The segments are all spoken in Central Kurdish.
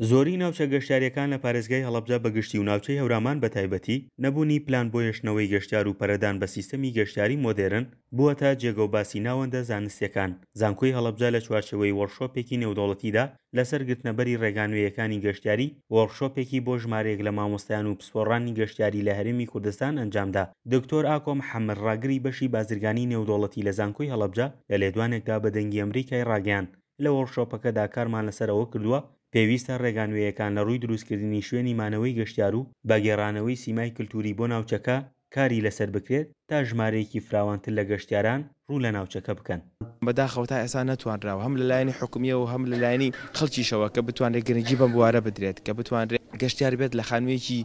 زۆری ناوچە گەشتیارییەکان لە پارێزگای هەڵەبجە بە گشتی و ناوچەی هەورامان بە تایبەتی، نەبوونی پلان بۆ هێشتنەوەی گەشتیار و پەرەدان بە سیستەمی گەشتیاری مۆدێرن، بووەتە جێگەو باسی ناوەندە زانستییەکان. زانکۆی هەڵەبجە لە چوارچێوەی وۆرکشۆپێکی نێودەوڵەتیدا لەسەر گرتنەبەری ڕێگا نوێیەکانی گەشتیاری، وۆرکشۆپێکی بۆ ژمارەیەک لە مامۆستایان و پسپۆڕانی گەشتیاری لە هەرێمی کوردستان ئەنجامدا. دکتۆر ئاکۆ محەمەد ڕاگری بەشی بازرگانی نێودەوڵەتی لە زانکۆی هەڵەبجە لە لێدوانێکدا بە دەنگی ئەمریکای ڕاگەیاند، لە وۆرکشۆپەکەدا کارمان لەسەر ئەوە کردووە پێویستە ڕێگا نوێیەکان لە ڕووی دروستکردنی شوێنی مانەوەی گەشتیار و بە گێڕانەوەی سیمای کلتوری بۆ ناوچەکە کاری لەسەر بکرێت تا ژمارەیەکی فراوانتر لە گەشتیاران ڕوو لە ناوچەکە بکەن. بەداخەوە تا ئێستا نەتوانراوە هەم لە لایەنی حکومییەوە و هەم لە لایەنی خەڵکیشەوە کە بتوانرێت گرنگی بەم بوارە بدرێت کە بتوانرێت گەشتیار بێت لە خانوویەکی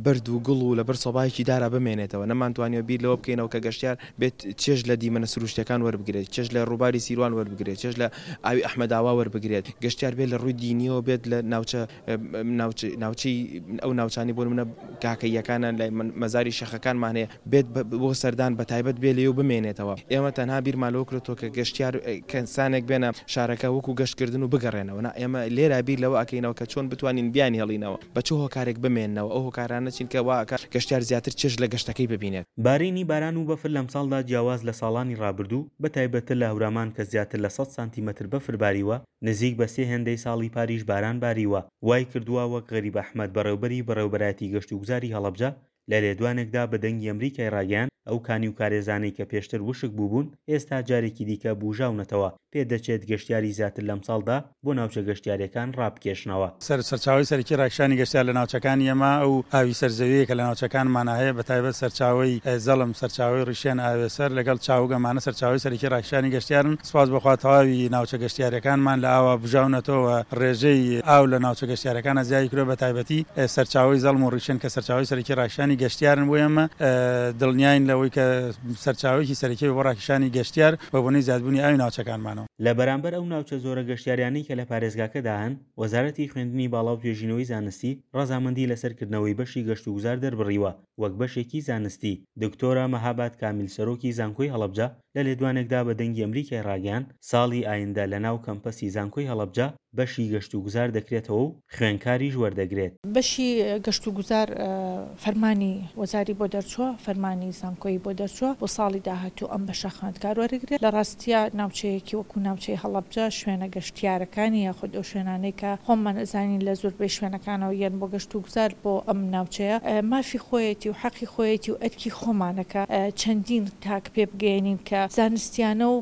بەرد و گوڵ و لەبەر سۆبایەکی دارا بمێنێتەوە، نەمانتوانیوە بیر لەوە بکەینەوە کە گەشتیار بێت چێژ لە دیمەنە سروشتیەکان وەربگرێت، چێژ لە ڕووباری سیروان وەربگرێت، چێژ لە ئاوی ئەحمەداوا وەربگرێت، گەشتیار بێت لە ڕووی دینیەوە بێت لە ناوچە ناوچەی ئەو ناوچانەی بۆ نمونە کاکەییەکانە لای مەزاری شێخەکانمان هەیە بێت بۆ سەردان بە تایبەت بێ لێ و بمێنێتەوە ئێمە تەنها بیرمان لەوە کردۆتەوە کە گەشتیار کەسانێک بێنە شارەکە وەکو گەشتکردن و بگەڕێنەوە نا ئێمە لێرە بیر لەوە ئەکەینەوە کە چۆن بتوانین بیانهێڵینەوە بە چ هۆکارێک بمێننەوە ئەو هۆکارانە چین کە وا ئەکات گەشتیار زیاتر چێژ لە گەشتەکەی ببینێت. بارینی باران و بەفر لەمساڵدا جیاواز لە ساڵانی ڕابردوو، بە تایبەتتر لە هەورامان کە زیاتر لە سەد سانتیمەتر بەفر باریوە، نزیک بە سێ هێندەی ساڵی پاریش باران باریوە، وای کردووە وەک غەریب ئەحمەد بەڕێوبەری بەڕێوبەرایەتی گەشتوگوزاری هەڵەبجە لە لێدوانێکدا بە دەنگی ئەمریکای ڕاگەیاند، ئەو کانی و کارێزانەی کە پێشتر وشک بووبوون، ئێستا جارێکی دیکە بووژاونەتەوە، پێدەچێت گەشتیاری زیاتر لەمساڵدا بۆ ناوچە گەشتیارییەکان ڕابکێشنەوە. سەرچاوەی سەرەکی ڕاکشانی گەشتیار لە ناوچەکانی ئێمە ئەو ئاوی سەر زەوییە کە لە ناوچەکانمانا هەیە بە تایبەت سەرچاوەی زەڵم، سەرچاوەی ڕیشێن، ئاوێسەر لەگەڵ چاوگ ئەمانە سەرچاوەی سەرەکی ڕاکشانی گەشتیارن. سپاس بۆ خوا تەواوی ناوچە گەشتیارییەکانمان لە ئاوا بژاونەتەوە و ڕێژەی ئاو لە ناوچە گەشتیارییەکانا زیادی کردووە بە تایبەتی سەرچاوەی زەڵم و ڕیشێن کە سەرچاوەی سەرەکی ڕاکشانی گەشتیارن بۆ ئێمە دڵنیاین لەوەی کە سەرچاوەیەکی سەرەکیە بۆ ڕاکشانی گەشتیار بە بۆنەی زیادبوونی ئاوی ناوچەکانمانەوە. لە بەرامبەر ئەو ناوچە زۆرە گەشتیاریانەی کە لە پارێزگاکەدا هەن، وەزارەتی خوێندنی باڵا و توێژینەوەی زانستی ڕەزامەندی لەسەر کردنەوەی بەشی گەشتوگوزار دەربڕیوە وەک بەشێکی زانستی. دکتۆرە مەهاباد کامیل سەرۆکی زانکۆی هەڵەبجە لە لێدوانێکدا بە دەنگی ئەمریکای ڕاگەیاند، ساڵی ئایندە لەناو کەمپەسی زانکۆی هەڵەبجە بەشی گەشتوگوزار دەکرێتەوە و خوێنکاریش وەردەگرێت. بەشی گەشتوگوزار فەرمانی وەزاری بۆ دەرچووە، فەرمانی زانکۆیی بۆ دەرچووە، بۆ ساڵی داهاتوو ئەم بەشە خوێندکار وەرەگرێت. لە ڕاستیا ناوچەیەکی وەکو ناوچەی هەڵەبجە شوێنە گەشتیارەکانی یاخود ئەو شوێنانەی کە خۆمان ئەزانین لە زۆربەی شوێنەکانەوە یەن بۆ گەشتوگوزار بۆ ئەم ناوچەیە مافی خۆیەتی و حەقی خۆیەتی و ئەرکی خۆمانە کە چەندین تاک پێ بگەیەنین کە زانستیانە و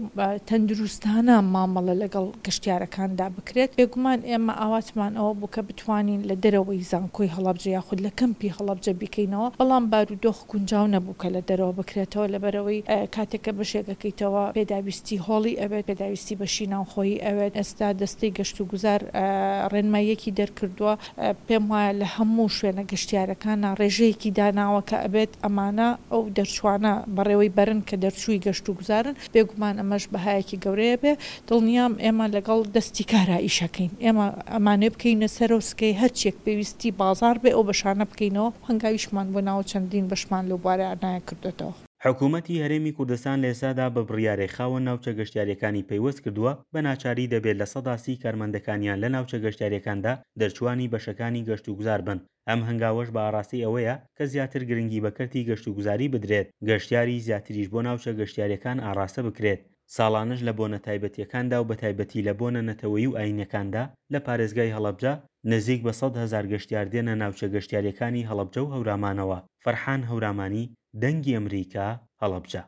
تەندروستانە مامەڵە لەگەڵ گەشتیارەکاندا بکرێت. بێگومان ئێمە ئاواتمان ئەوە بوو کە بتوانین لە دەرەوەی زانکۆی هەڵەبجە یاخود لە کەمپی هەڵەبجە بیکەینەوە، بەڵام بارودۆخ گونجاو نەبوو کە لە دەرەوە بکرێتەوە، لەبەرئەوەی کاتێک کە بەشێک ئەکەیتەوە پێداویستی هۆڵی ئەوێت، پێداویستی بەشی ناوخۆیی ئەوێت، ئێستا دەستەی گەشتوگوزار ڕێنماییەکی دەرکردووە، پێم وایە لە هەموو شوێنە گەشتیارەکانا ڕێژەیەکی داناوە کە ئەبێت ئەمانە ئەو دەرچوانە بەڕێوەی بەرن کە دەرچووی گەشتوگوزارن، بێگومان ئەمەش بەهایەکی گەورەیە بێ، دڵنیام ئێمە لەگەڵ دەستی کارا ئیشەکەین، ئێمە ئەمانەوێ بکەینە سەرەو سکەی هەرچیەک پێویستی بازاڕ بێ ئەو بەشانە بکەینەوە، هەنگاویشمان بۆ ناوە چەندین بەشمان لەو بوارانە کردۆتەوە. حکومەتی هەرێمی کوردستان لە ئێستادا بە بڕیارێک خاوەن ناوچە گەشتیارییەکانی پەیوەست کردووە، بە ناچاری دەبێت 30% کارمەندەکانیان لە ناوچە گەشتیارییەکاندا دەرچووانی بەشەکانی گەشتوگوزار بن، ئەم هەنگاوەش بە ئاڕاستەی ئەوەیە کە زیاتر گرنگی بە کەرتی گەشتوگوزاری بدرێت، گەشتیاری زیاتریش بۆ ناوچە گەشتیارییەکان ئاڕاستە بکرێت. ساڵانەش لە بۆنە تایبەتییەکاندا و بەتایبەتی لە بۆنە نەتەوەیی و ئایینیەکاندا لە پارێزگای هەڵەبجە نزیک بە 100,000 گەشتیار دێنە ناوچە گەشتیارییەکانی هەڵەبجە و هەورامانەوە. فەرحان هەورامانی، دەنگی ئەمریکا، هەڵەبجە.